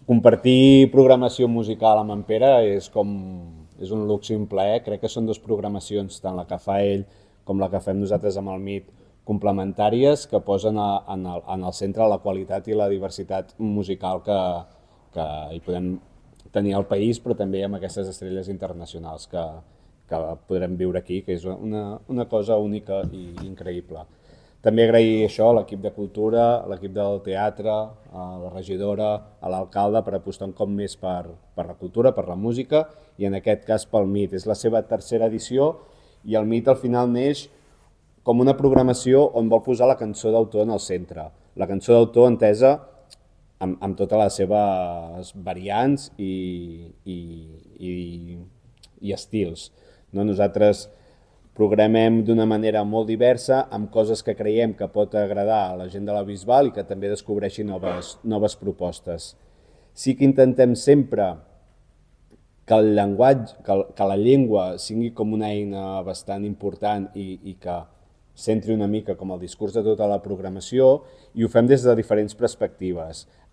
Compartir programació musical amb en Pere és un luxe i un plaer. Crec que són dues programacions, tant la que fa ell com la que fem nosaltres amb el MIT, complementàries, que posen en el centre la qualitat i la diversitat musical que hi podem tenir al país, però també amb aquestes estrelles internacionals que podrem viure aquí, que és una cosa única i increïble. També agrair això a l'equip de cultura, a l'equip del teatre, a la regidora, a l'alcalde per apostar un cop més per la cultura, per la música i en aquest cas pel MIT. És la seva tercera edició i el MIT al final neix com una programació on vol posar la cançó d'autor en el centre. La cançó d'autor entesa amb totes les seves variants i estils. No? Nosaltres programem d'una manera molt diversa, amb coses que creiem que pot agradar a la gent de la Bisbal i que també descobreixi noves propostes. Sí que intentem sempre que el llenguatge, que la llengua sigui com una eina bastant important i que centri una mica com el discurs de tota la programació, i ho fem des de diferents perspectives.